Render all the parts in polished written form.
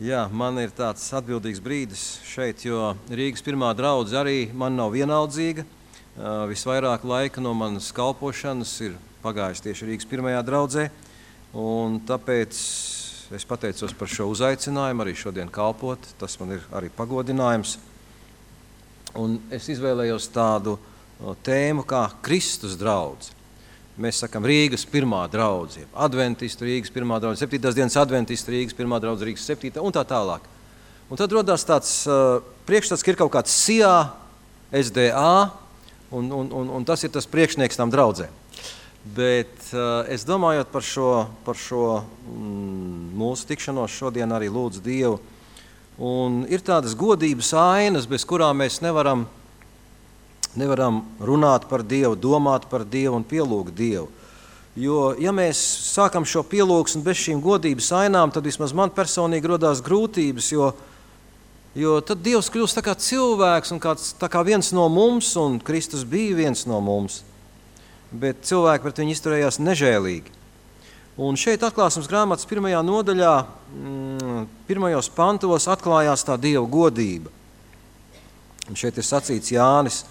Jā, man ir tāds atbildīgs brīdis šeit, jo Rīgas pirmā draudze arī man nav vienaldzīga. Visvairāk laika no manas kalpošanas ir pagājis tieši Rīgas pirmajā draudzē, un tāpēc es pateicos par šo uzaicinājumu arī šodien kalpot. Tas man ir arī pagodinājums. Un es izvēlējos tādu tēmu kā Kristus draudze. Mēs sakam Rīgas pirmā draudze, adventistu Rīgas pirmā draudze, 7. dienas adventistu Rīgas pirmā draudze, Rīgas 7. un tā tālāk. Un tad rodās tāds priekšstats, ka ir kaut kāds SIA, SDA, un tas ir tas priekšnieks tām draudzēm. Bet es domājot par šo mūsu tikšanos šodien arī lūdzu Dievu, un ir tādas godības ainas, bez kurām mēs nevaram runāt par Dievu, domāt par Dievu un pielūgt Dievu. Jo, ja mēs sākam šo pielūgsmu bez šīm godības ainām, tad vismaz man personīgi rodās grūtības, jo tad Dievs kļūst tā kā cilvēks un tā kā viens no mums, un Kristus bija viens no mums. Bet cilvēki pret viņu izturējās nežēlīgi. Un šeit atklāsmes grāmatas 1. nodaļā, 1. pantos atklājās tā Dieva godība. Un šeit ir sacīts Jānis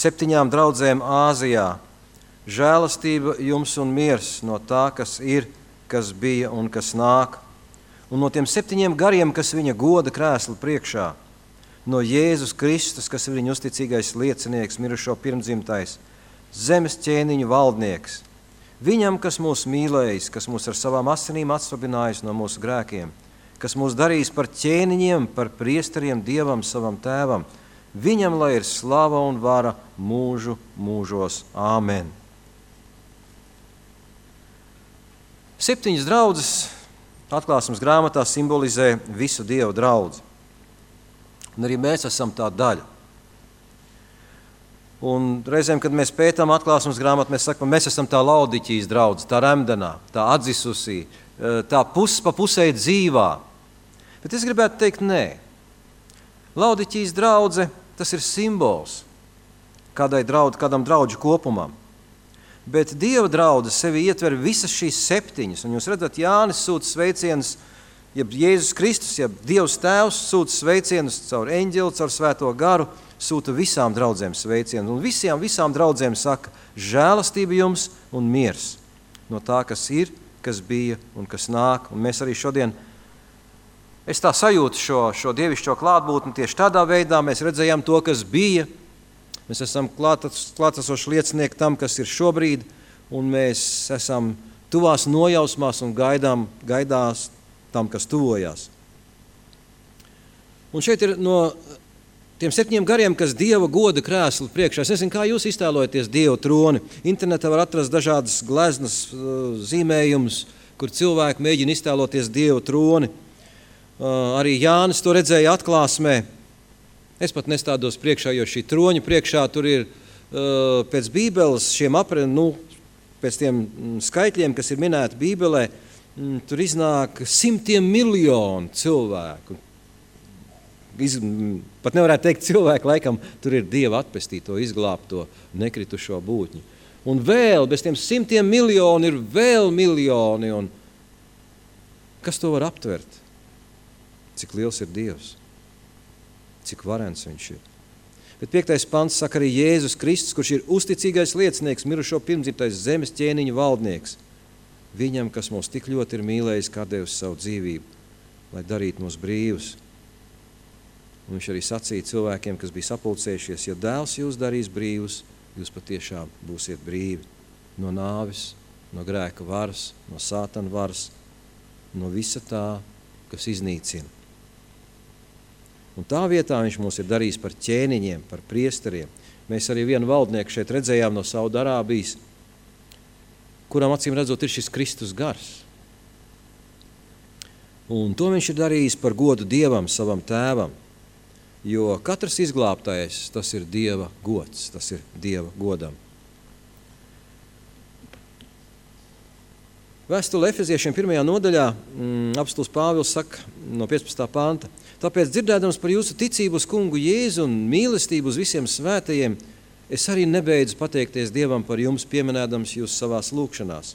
7 draudzēm Āzijā. Žēlastība jums un miers no tā, kas ir, kas bija un kas nāk. Un no tiem 7 gariem, kas viņa goda krēsla priekšā. No Jēzus Kristus, kas ir viņa uzticīgais liecinieks, mirušo pirmdzimtais, zemes ķēniņu valdnieks. Viņam, kas mūs mīlējis, kas mūs ar savām asinīm atsvabinājis no mūsu grēkiem, kas mūs darījis par ķēniņiem, par priesteriem Dievam savam tēvam. Viņam, lai ir slava un vara mūžu mūžos. Āmen. 7 draudzes atklāsmes grāmatā simbolizē visu Dieva draudzi. Un arī mēs esam tā daļa. Un reizēm, kad mēs pētām atklāsmes grāmatu, mēs sakam, mēs esam tā Laodiķijas draudze, tā remdenā, tā atdzisusī, tā pa pusē dzīvā. Bet es gribētu teikt, nē. Laodiķijas draudze, tas ir simbols kādam draudžu kopumam. Bet Dieva draudze sevi ietver visas šīs 7. Un jūs redzat, Jānis sūta sveicienus, jeb Jēzus Kristus, jeb Dievs Tēvs sūta sveicienus caur eņģeli, caur Svēto garu, sūta visām draudzēm sveicienus. Un visām draudzēm saka, žēlastība jums un miers no tā, kas ir, kas bija un kas nāk. Un mēs arī šodien es tā sajūtu šo dievišķo klātbūtni tieši tādā veidā. Mēs redzējām to, kas bija. Mēs esam klātesoši liecinieki tam, kas ir šobrīd, un mēs esam tuvās nojausmās un gaidās tam, kas tuvojās. Un šeit ir no tiem 7 gariem, kas Dieva goda krēsla priekšā. Es nezinu, kā jūs iztēlojaties Dieva troni. Internetā var atrast dažādas gleznas zīmējumus, kur cilvēki mēģina iztēloties Dieva troni. Arī Jānis to redzēja atklāsmē. Es pat nestādos priekšā, jo šī troņa priekšā tur ir pēc Bībeles pēc tiem skaitļiem, kas ir minēti Bībelē, tur iznāk 100 miljonu cilvēku. Pat nevarētu teikt cilvēku, laikam tur ir Dieva atpestīto, izglābto, nekritušo būtņu. Un vēl, bez tiem 100 miljoni ir vēl miljoni. Un kas to var aptvert? Cik liels ir Dievs, cik varens viņš ir. Bet 5. pants saka arī Jēzus Kristus, kurš ir uzticīgais liecinieks, mirušo pirmdzimtais zemes ķēniņu valdnieks. Viņam, kas mūs tik ļoti ir mīlējis, kā devis savu dzīvību, lai darītu mūs brīvus. Un viņš arī sacīja cilvēkiem, kas bija sapulcējušies, ja dēls jūs darīs brīvus, jūs patiešām būsiet brīvi no nāves, no grēka varas, no sātana varas, no visa tā, kas iznīcina. Un tā vietā viņš mūs ir darījis par ķēniņiem, par priesteriem. Mēs arī vienu valdnieku šeit redzējām no Saudarābijas, kuram acīm redzot ir šis Kristus gars. Un to viņš ir darījis par godu Dievam, savam tēvam, jo katrs izglābtais, tas ir Dieva gods, tas ir Dieva godam. Vēstule Efeziešiem 1. nodaļā apostols Pāvils saka no 15. panta: Tāpēc, dzirdēdams par jūsu ticību uz kungu Jēzu un mīlestību uz visiem svētajiem, es arī nebeidzu pateikties Dievam par jums, pieminēdams jūs savās lūkšanās.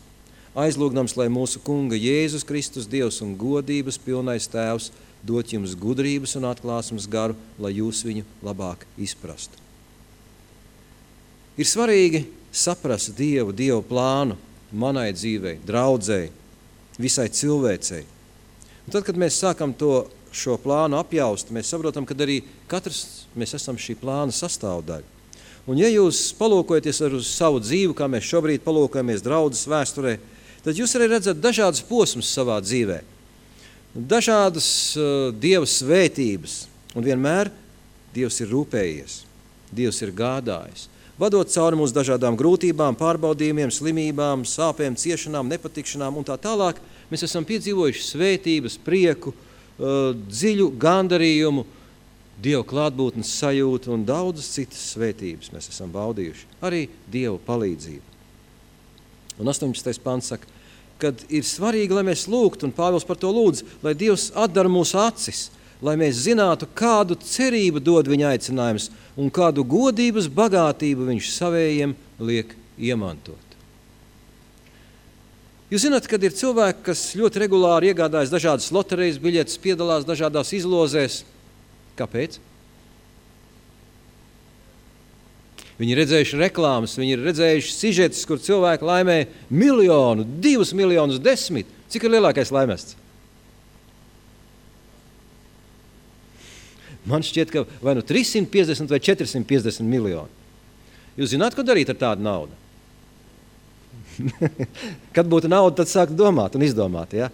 aizlūgdams, lai mūsu Kunga Jēzus Kristus Dievs un godības pilnais Tēvs dot jums gudrības un atklāsmes garu, lai jūs viņu labāk izprastu. Ir svarīgi saprast Dievu plānu manai dzīvei, draudzei, visai cilvēcei. Un tad, kad mēs sākam šo plānu apjaust, mēs saprotam, ka arī katrs mēs esam šī plāna sastāvdaļa. Un ja jūs palūkojaties uz savu dzīvi, kā mēs šobrīd palūkojamies draudzes vēsturē, tad jūs arī redzat dažādas posmas savā dzīvē, dažādas Dieva svētības, un vienmēr Dievs ir rūpējies, Dievs ir gādājis, vadot cauri mūsu dažādām grūtībām, pārbaudījumiem, slimībām, sāpēm, ciešanām, nepatikšanām un tā tālāk. Mēs esam piedzīvojuši svētības, prieku, dziļu gandarījumu, Dieva klātbūtnes sajūtu un daudzas citas svētības mēs esam baudījuši. Arī Dieva palīdzību. Un 18. pants saka, kad ir svarīgi, lai mēs lūgtu, un Pāvils par to lūdz, lai Dievs atdara mūsu acis, lai mēs zinātu, kādu cerību dod viņa aicinājums un kādu godības bagātību viņš savējiem liek iemantot. Jūs zināt, kad ir cilvēki, kas ļoti regulāri iegādājas dažādas loterijas biļetes, piedalās dažādās izlozēs. Kāpēc? Viņi ir redzējuši reklāmas, viņi ir redzējuši sižetus, kur cilvēki laimē 1 miljonu, 2 miljonus, 10. Cik ir lielākais laimests? Man šķiet, ka vai nu 350 vai 450 miljoni. Jūs zināt, ko darīt ar tādu naudu? Kad būtu nauda, tad sākt domāt un izdomāt, ja?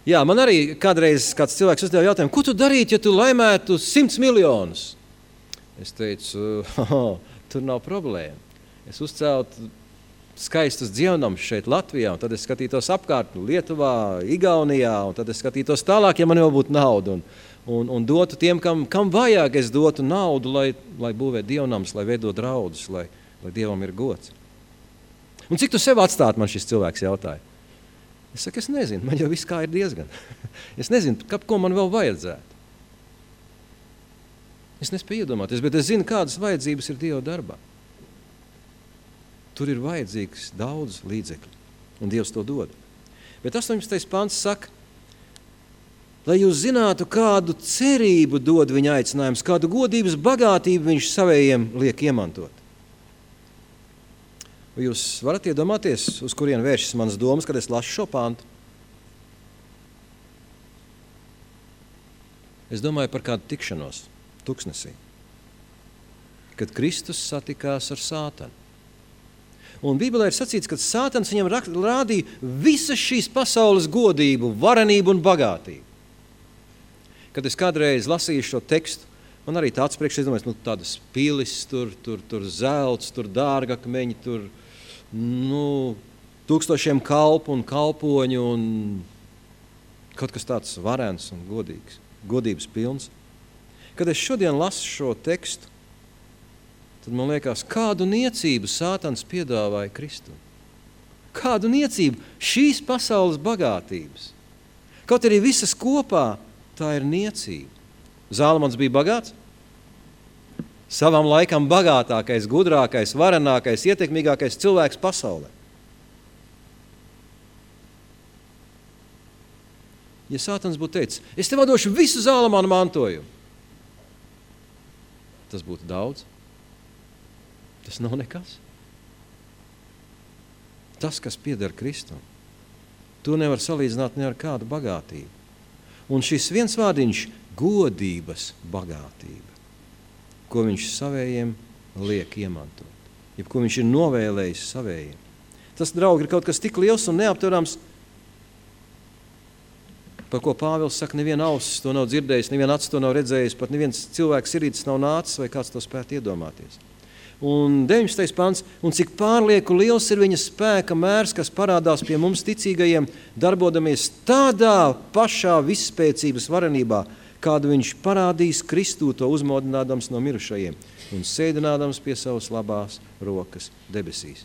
Jā, man arī kādreiz kāds cilvēks uzdeva jautājumu, ko tu darītu, ja tu laimētu 100 miljonus? Es teicu, tur nav problēma. Es uzceltu skaistus dzievnamus šeit Latvijā, un tad es skatītos apkārt Lietuvā, Igaunijā, un tad es skatītos tālāk, ja man jau būtu nauda, un dotu tiem, kam vajag, es dotu naudu, lai būvē dievnams, lai veido draudus, lai Dievam ir gods. Un cik tu sev atstāt, man šis cilvēks jautāja? Es saku, es nezinu, man jau viss kā ir diezgan. Es nezinu, ko man vēl vajadzētu. Es nespēju iedomāties, bet es zinu, kādas vajadzības ir Dieva darbā. Tur ir vajadzīgs daudz līdzekļu, un Dievs to dod. Bet 18. pants saka, lai jūs zinātu, kādu cerību dod viņa aicinājums, kādu godības bagātību viņš savējiem liek iemantot. Vai jūs varat iedomāties, uz kurien vēršas manas domas, kad es lasu šo pantu? Es domāju par kādu tikšanos tuksnesī, kad Kristus satikās ar Sātanu. Un Bībelē ir sacīts, ka Sātans viņam rādīja visas šīs pasaules godību, varenību un bagātību. Kad es kādreiz lasīju šo tekstu, man arī tāds priekš, es domāju, tādas pilis, tur zelts, tur dārgakmeņi, tur tūkstošiem kalpu un kalpoņu un kaut kas tāds varens un godības pilns. Kad es šodien lasu šo tekstu, tad man liekas, kādu niecību Sātans piedāvāja Kristu. Kādu niecību šīs pasaules bagātības. Kaut arī visas kopā, tā ir niecība. Zālamans bija bagāts? Savam laikam bagātākais, gudrākais, varenākais, ietekmīgākais cilvēks pasaulē. Ja Sātans būtu teicis, es tev došu visu Zālamana mantojumu, tas būtu daudz. Tas nav nekas. Tas, kas pieder Kristum, to nevar salīdzināt ne ar kādu bagātību. Un šis viens vārdiņš – godības bagātība, ko viņš savējiem liek iemantot, jeb ko viņš ir novēlējis savējiem. Tas, draugi, ir kaut kas tik liels un neaptverams, par ko Pāvils saka, neviena ausis to nav dzirdējis, neviena acis to nav redzējis, pat neviens cilvēks sirdis nav nācis, vai kāds to spētu iedomāties. Un 19. pants, un cik pārlieku liels ir viņa spēka mērs, kas parādās pie mums ticīgajiem, darbodamies tādā pašā visspēcības varenībā, kādu viņš parādīs Kristū, to uzmodinādams no mirušajiem un sēdinādams pie savas labās rokas debesīs.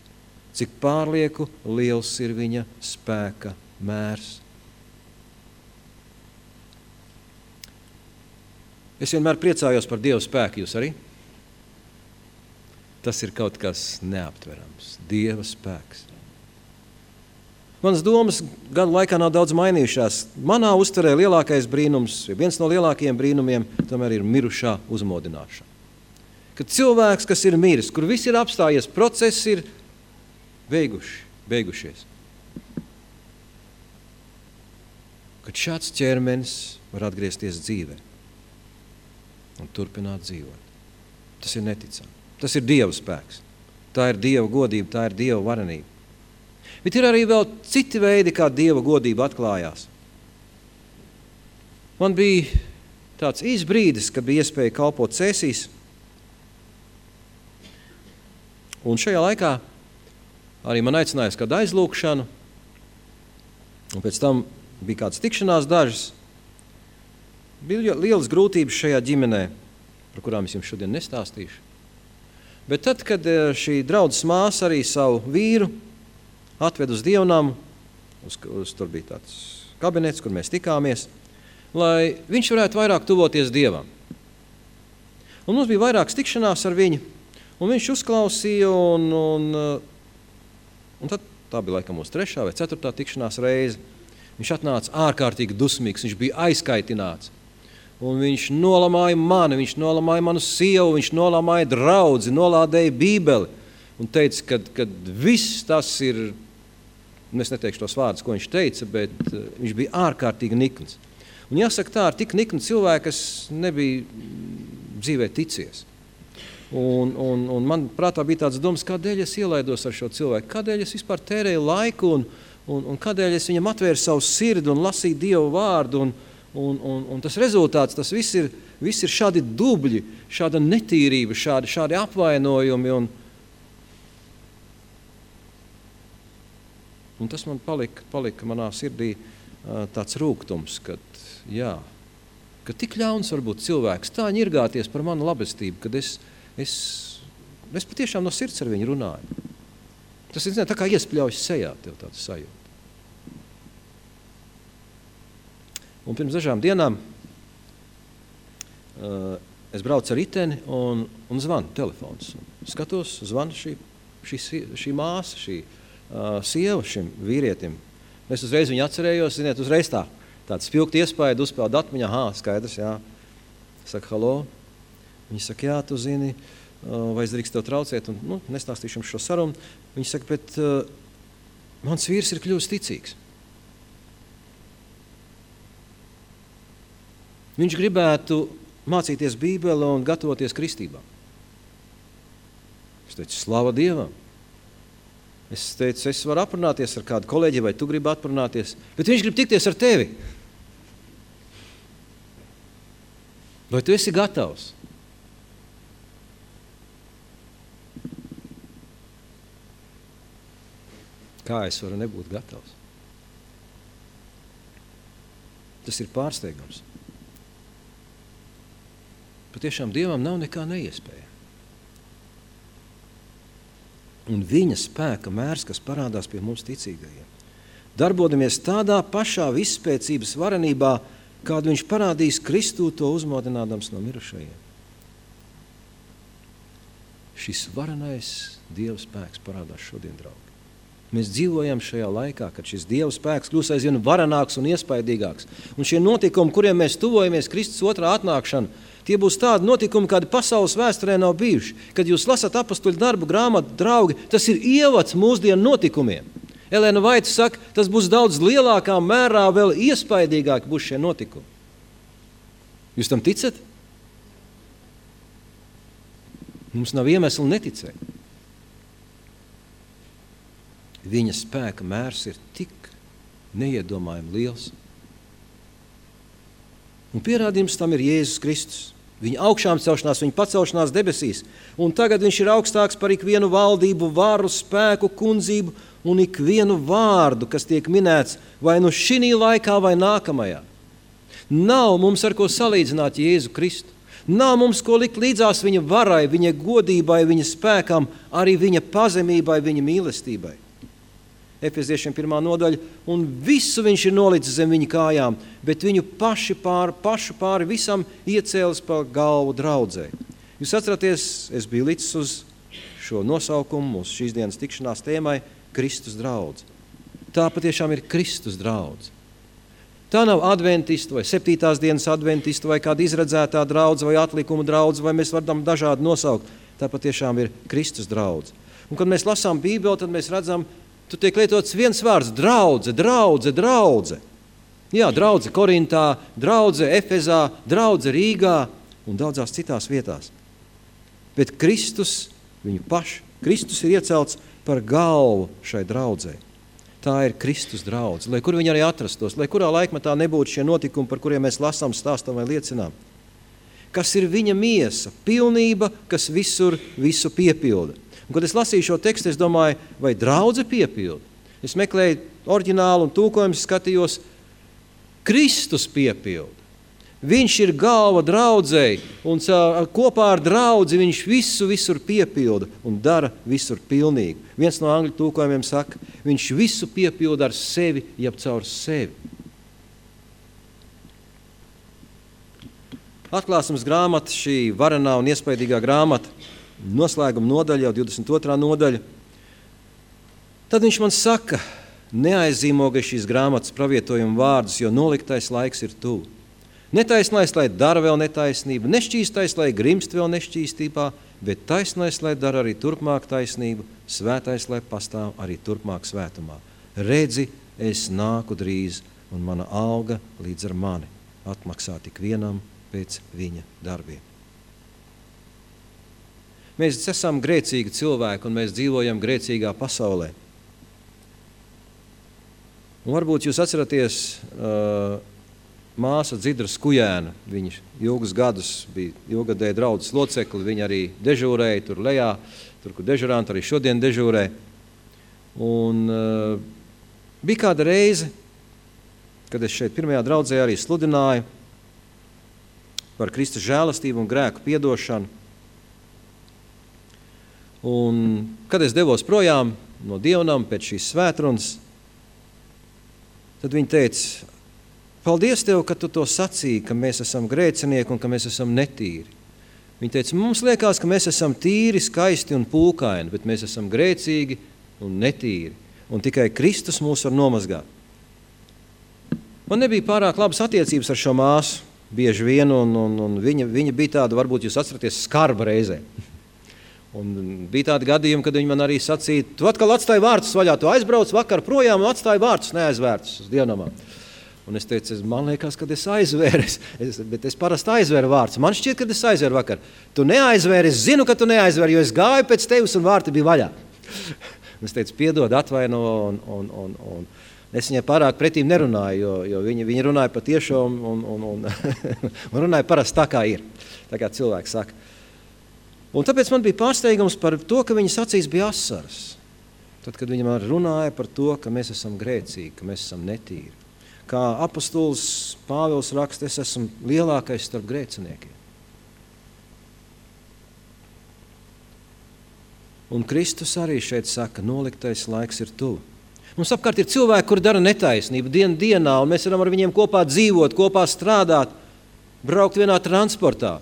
Cik pārlieku liels ir viņa spēka mērs. Es vienmēr priecājos par Dieva spēku, jūs arī? Tas ir kaut kas neaptverams. Dieva spēks. Manas domas gadu laikā nav daudz mainījušās. Manā uztverē lielākais brīnums, viens no lielākajiem brīnumiem, tomēr ir mirušā uzmodināšana. Kad cilvēks, kas ir miris, kur viss ir apstājies, process ir beigušies. Kad šāds ķermenis var atgriezties dzīvē un turpināt dzīvot. Tas ir neticami. Tas ir Dieva spēks. Tā ir Dieva godība, tā ir Dieva varenība. Bet ir arī vēl citi veidi, kā Dieva godība atklājās. Man bija tāds īs brīdis, kad bija iespēja kalpot Cēsīs. Un šajā laikā arī man aicinājās kādu aizlūkšanu. Un pēc tam bija kādas tikšanās dažas. Bija lielas grūtības šajā ģimenē, par kurām es jums šodien nestāstīšu. Bet tad, kad šī draudzes māsa arī savu vīru atved uz dievnamu, tur bija tāds kabinets, kur mēs tikāmies, lai viņš varētu vairāk tuvoties Dievam. Un mums bija vairākas tikšanās ar viņu, un viņš uzklausīja, un tad tā bija laikam mūsu 3. vai 4. tikšanās reize. Viņš atnāca ārkārtīgi dusmīgs, viņš bija aizkaitināts. Un viņš nolamāja mani, viņš nolamāja manu sievu, viņš nolamāja draudzi, nolādēja Bībeli. Un teica, ka viss tas ir, es neteikšu tos vārdus, ko viņš teica, bet viņš bija ārkārtīgi nikns. Un jāsaka tā, ar tik niknu cilvēku, kas nebija dzīvē ticies. Un man prātā bija tāds domas, kādēļ es ielaidos ar šo cilvēku, kādēļ es vispār tērēju laiku un kādēļ es viņam atvēru savu sirdi un lasīju Dievu vārdu un tas rezultāts, tas viss ir šādi dubļi, šāda netīrība, šādi apvainojumi un tas man palika manā sirdī tāds rūgtums, ka tik ļauns var būt cilvēks, tā ņirgāties par manu labestību, kad es patiešām no sirds ar viņu runāju. Tas ir, tā kā iespļaujas sejā, tev tāds sajūta. Un pirms dažām dienām es braucu ar riteni un zvanu telefons. Skatos, zvanu šī māsa, šī sieva šim vīrietim. Es uzreiz viņu atcerējos, ziniet, uzreiz tāds spilgt iespēja uzpeld atmiņā, skaidrs, jā. Saka, halo. Viņi saka, jā, tu zini, vai es drīkst tev traucēt, un nestāstīšu jums šo sarunu. Viņi saka, bet mans vīrs ir kļuvis ticīgs. Viņš gribētu mācīties Bībeli un gatavoties kristībā. Es teicu, slava Dievam. Es teicu, es varu aprunāties ar kādu kolēģi, vai tu gribi aprunāties, bet viņš grib tikties ar tevi. Vai tu esi gatavs? Kā es varu nebūt gatavs? Tas ir pārsteigums. Patiešām Dievam nav nekā neiespēja. Un viņa spēka mērs, kas parādās pie mums ticīgajiem. Darbodamies tādā pašā visspēcības varenībā, kādu viņš parādīs Kristū, to uzmodinādams no mirušajiem. Šis varenais Dieva spēks parādās šodien, draugi. Mēs dzīvojam šajā laikā, kad šis Dieva spēks kļūs aizvien varenāks un iespaidīgāks. Un šie notikumi, kuriem mēs tuvojamies Kristus otrā atnākšana, tie būs tādi notikumi, kādi pasaules vēsturē nav bijuši. Kad jūs lasat apostuļu darbu grāmatu, draugi, tas ir ievads mūsdienu notikumiem. Elēna Vaita saka, tas būs daudz lielākā mērā, vēl iespaidīgāk būs šie notikumi. Jūs tam ticat? Mums nav iemesli neticēt. Viņa spēka mērs ir tik neiedomājami liels. Un pierādījums tam ir Jēzus Kristus. Viņa augšām celšanās, viņa pacelšanās debesīs. Un tagad viņš ir augstāks par ikvienu valdību, varu, spēku, kundzību un ikvienu vārdu, kas tiek minēts vai nu šinī laikā vai nākamajā. Nav mums ar ko salīdzināt Jēzu Kristu. Nav mums ko likt līdzās viņa varai, viņa godībai, viņa spēkam, arī viņa pazemībai, viņa mīlestībai. Efeziešiem 1. nodaļa, un visu viņš ir nolicis zem viņa kājām, bet viņu pašu pāri visam iecēlis pa galvu draudzē. Jūs atceraties, es biju licis uz šo nosaukumu, mūsu šīs dienas tikšanās tēmai Kristus draudze. Tā patiešām ir Kristus draudze. Tā nav adventistu vai 7. dienas adventistu vai kāda izredzētā draudze vai atlikuma draudze, vai mēs varam dažādi nosaukt. Tā patiešām ir Kristus draudze. Un, kad mēs lasām Bībeli, tad mēs redzam, tur tiek lietots viens vārds – draudze, draudze, draudze. Jā, draudze Korintā, draudze Efezā, draudze Rīgā un daudzās citās vietās. Bet Kristus, viņu pašu, Kristus ir iecelts par galvu šai draudzei. Tā ir Kristus draudze, lai kur viņi arī atrastos, lai kurā laikmetā nebūtu šie notikumi, par kuriem mēs lasām, stāstam vai liecinām. Kas ir viņa miesa, pilnība, kas visur visu piepilda. Un, kad es lasīju šo tekstu, es domāju, vai draudze piepilda? Es meklēju oriģinālu un tulkojumu, skatījos, Kristus piepilda. Viņš ir galva draudzei, un kopā ar draudzi viņš visur piepilda un dara visur pilnīgi. Viens no angļu tulkojumiem saka, viņš visu piepilda ar sevi, jeb caur sevi. Atklāsmes grāmata, šī varenā un iespaidīgā grāmata, noslēguma nodaļa, jau 22. nodaļa. Tad viņš man saka, neaizzīmogai šīs grāmatas pravietojuma vārdus, jo noliktais laiks ir tuvu. Netaisnais, lai dara vēl netaisnību, nešķīstais, lai grimst vēl nešķīstībā, bet taisnais, lai dara arī turpmāk taisnību, svētais, lai pastāv arī turpmāk svētumā. Redzi, es nāku drīz, un mana alga līdz ar mani atmaksā tik vienam pēc viņa darbiem. Mēs esam grēcīgi cilvēki, un mēs dzīvojam grēcīgā pasaulē. Un varbūt jūs atceraties māsa Dzidra Skujēna, viņa ilgus gadus bija ilgadēja draudzes locekli, viņa arī dežūrēja tur lejā, tur, kur dežuranti arī šodien dežūrē. Un bija kāda reize, kad es šeit pirmajā draudzē arī sludināju par Kristus žēlastību un grēku piedošanu. Un kad es devos projām no dievnam pēc šīs svētrunas, tad viņa teica, paldies Tev, ka Tu to sacīji, ka mēs esam grēcinieki un ka mēs esam netīri. Viņa teica, mums liekas, ka mēs esam tīri, skaisti un pūkaini, bet mēs esam grēcīgi un netīri. Un tikai Kristus mūs var nomazgāt. Man nebija pārāk labas attiecības ar šo māsu, bieži vien, un viņa bija tāda, varbūt jūs atceraties, skarba reizē. Un bija tādi gadījumi, kad viņa man arī sacīja, tu atkal atstāji vārtus vaļā, tu aizbrauc vakar projām un atstāji vārtus neaizvērtus uz dievnamā. Un es teicu, man liekas, kad es aizvēru, bet es parasti aizvēru vārtus. Man šķiet, kad es aizvēru vakar. Tu neaizvēri, es zinu, ka tu neaizvēri, jo es gāju pēc tevis un vārti bija vaļā. Un es teicu, piedod, atvaino, un es viņai pārāk pretīm nerunāju, jo viņa runāja patiešām un runāja parasti tā, kā ir, tā kā cilvēks saka. Un tāpēc man bija pārsteigums par to, ka viņas acīs bija asaras. Tad, kad viņa man runāja par to, ka mēs esam grēcīgi, ka mēs esam netīri. Kā apostols Pāvils raksta, es esmu lielākais starp grēciniekiem. Un Kristus arī šeit saka, noliktais laiks ir tuvu. Mums apkārt ir cilvēki, kuri dara netaisnību dienu dienā, un mēs varam ar viņiem kopā dzīvot, kopā strādāt, braukt vienā transportā.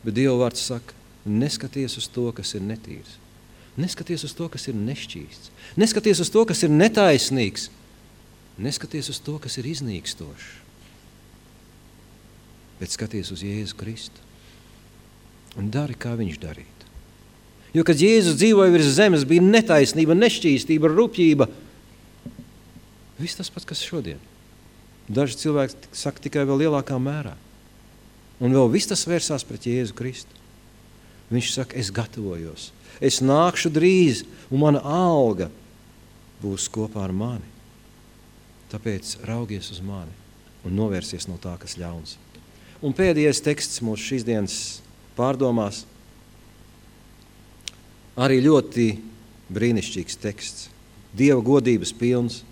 Bet Dieva vārds saka, neskaties uz to, kas ir netīrs. Neskaties uz to, kas ir nešķīsts. Neskaties uz to, kas ir netaisnīgs. Neskaties uz to, kas ir iznīkstošs. Bet skaties uz Jēzu Kristu. Un dari, kā viņš darītu. Jo, kad Jēzus dzīvoja virs zemes, bija netaisnība, nešķīstība, rupjība. Viss tas pats, kas šodien. Daži cilvēki saka tikai vēl lielākā mērā. Un vēl viss tas vērsās pret Jēzu Kristu. Viņš saka, es gatavojos. Es nākšu drīz, un mana alga būs kopā ar mani. Tāpēc raugies uz mani un novērsies no tā, kas ļauns. Un pēdējais teksts mūsu šīs dienas pārdomās. Arī ļoti brīnišķīgs teksts. Dieva godības pilns.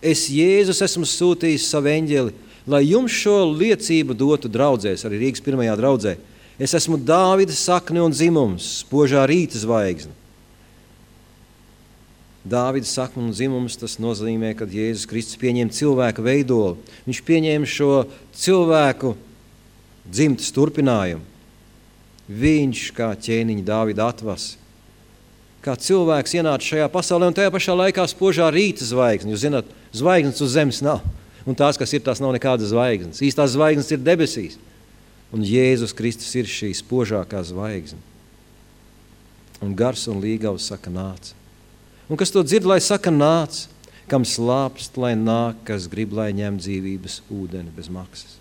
Es, Jēzus, esmu sūtījis savu eņģeli, lai jums šo liecību dotu draudzēs, arī Rīgas pirmajā draudzē. Es esmu Dāvida sakne un dzimums, spožā rīta zvaigzne. Dāvida sakne un dzimums, tas nozīmē, kad Jēzus Kristus pieņēma cilvēku veidolu. Viņš pieņēma šo cilvēku dzimtas turpinājumu. Viņš, kā ķēniņa Dāvida atvasi, kā cilvēks ienāca šajā pasaulē, un tajā pašā laikā spožā rīta zvaigzne. Jūs zināt, zvaigznes uz zemes nav, un tās, kas ir, tās nav nekādas zvaigznes. Īstās zvaigznes ir debesīs, un Jēzus Kristus ir šī spožākā zvaigzne. Un gars un līgavs saka nāc. Un kas to dzird, lai saka nāc, kam slāpst, lai nāk, kas grib, lai ņem dzīvības ūdeni bez maksas.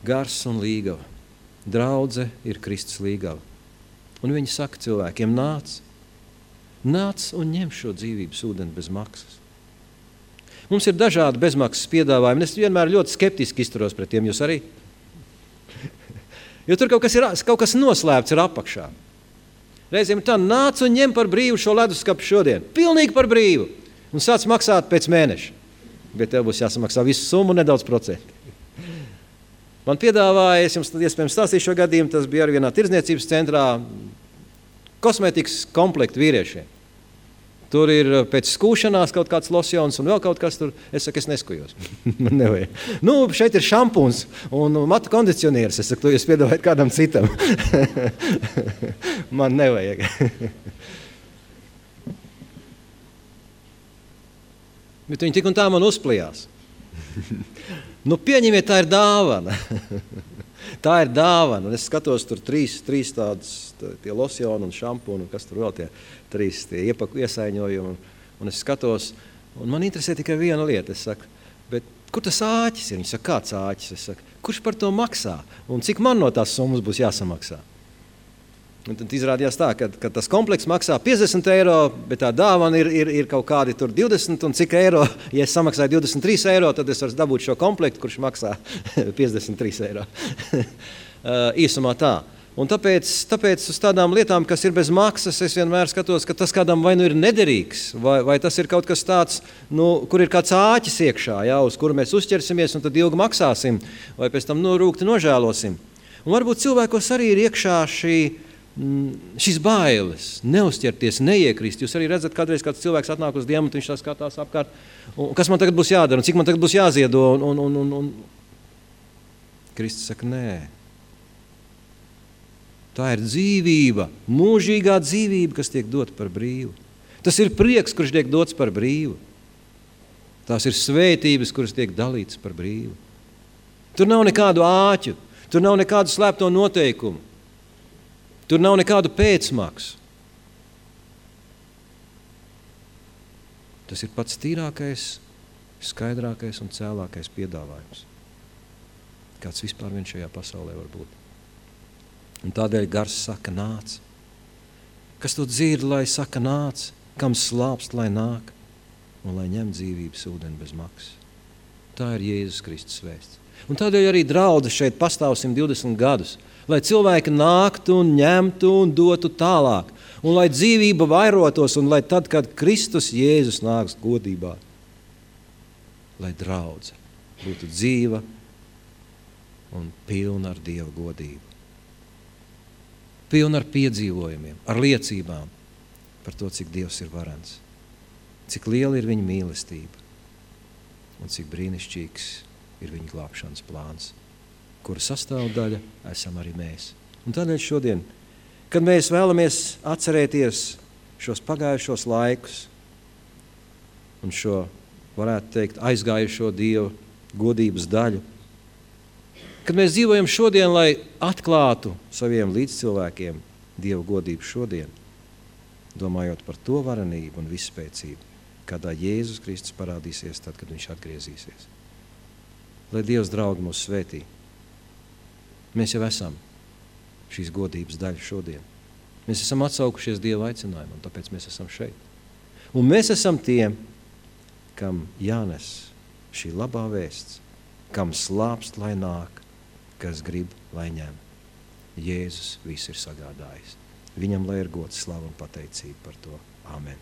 Gars un līgava. Draudze ir Kristus līgava. Un viņi saka cilvēkiem, nāc un ņem šo dzīvības ūdeni bez maksas. Mums ir dažādi bezmaksas piedāvājumi, un es vienmēr ļoti skeptiski izturos pret tiem, jūs arī? Jo tur kaut kas noslēpts ir apakšā. Reizēm tā nāc un ņem par brīvu šo leduskapu šodien. Pilnīgi par brīvu. Un sāc maksāt pēc mēneša. Bet tev būs jāsamaksā visu summu un nedaudz procentu. Man piedāvāja, es jums iespējams stāstīšu šo gadījumu, tas bija arī vienā tirdzniecības centrā, kosmētikas komplektu vīriešiem. Tur ir pēc skūšanās kaut kāds losjons un vēl kaut kas tur. Es saku, es neskujos. Man nevajag. Šeit ir šampuns un matu kondicionieris. Es saku, to jūs piedāvājat kādam citam. Man nevajag. Bet viņi tik un tā man uzplijās. Pieņemiet, tā ir dāvana. Tā ir dāvana. Un es skatos tur trīs tādas, tie losjoni un šampuni, un kas tur vēl tie trīs tie iesaiņojumi. Un es skatos, un man interesē tikai viena lieta. Es saku, bet kur tas āķis ir? Viņi saka, kāds āķis? Es saku, kurš par to maksā? Un cik man no tās summas būs jāsamaksā? Un tad izrādījās tā, ka tas komplekss maksā 50 eiro, bet tā dāvana ir kaut kādi tur 20, un cik eiro, ja es samaksāju 23 eiro, tad es varu dabūt šo komplektu, kurš maksā 53 eiro. Īsumā tā. Un tāpēc uz tādām lietām, kas ir bez maksas, es vienmēr skatos, ka tas kādam vai nu ir nederīgs, vai tas ir kaut kas tāds, kur ir kāds āķis iekšā, ja, uz kuru mēs uzķersimies un tad ilgi maksāsim, vai pēc tam rūgti nožēlosim. Un varbūt cilvēkos arī ir iekšā šīs bailes, neuzķerties, neiekrist. Jūs arī redzat, kādreiz kāds cilvēks atnāk uz dienu, un viņš tā skatās apkārt, un kas man tagad būs jādara, un cik man tagad būs jāziedo, un Kristus saka, nē. Tā ir dzīvība, mūžīgā dzīvība, kas tiek dota par brīvu. Tas ir prieks, kurš tiek dots par brīvu. Tās ir svētības, kuras tiek dalītas par brīvu. Tur nav nekādu āķu, tur nav nekādu slēpto noteikumu. Tur nav nekādu pēcmaksu. Tas ir pats tīrākais, skaidrākais un cēlākais piedāvājums, kāds vispār vien šajā pasaulē var būt. Un tādēļ gars saka nāc. Kas to dzird, lai saka nāc, kam slāpst, lai nāk, un lai ņem dzīvības ūdeni bez maksas. Tā ir Jēzus Kristus vēsts. Un tādēļ arī draudze šeit pastāv 120 gadus, lai cilvēki nāktu un ņemtu un dotu tālāk, un lai dzīvība vairotos, un lai tad, kad Kristus Jēzus nāks godībā, lai draudze būtu dzīva un pilna ar Dieva godību. Pilna ar piedzīvojumiem, ar liecībām par to, cik Dievs ir varens, cik liela ir viņa mīlestība un cik brīnišķīgs ir viņa glābšanas plāns, kura sastāvdaļa esam arī mēs. Un tādēļ šodien, kad mēs vēlamies atcerēties šos pagājušos laikus un šo, varētu teikt, aizgājušo Dieva godības daļu, kad mēs dzīvojam šodien, lai atklātu saviem līdzcilvēkiem Dieva godību šodien, domājot par to varenību un visspēcību, kādā Jēzus Kristus parādīsies tad, kad viņš atgriezīsies. Lai Dievs draugi mūs svētī. Mēs jau esam šīs godības daļa šodien. Mēs esam atsaukušies Dieva aicinājumu, un tāpēc mēs esam šeit. Un mēs esam tiem, kam jānes šī labā vēsts, kam slāpst, lai nāk, kas grib, lai ņem. Jēzus visu ir sagādājis. Viņam lai ir gods, slava un pateicība par to. Amen.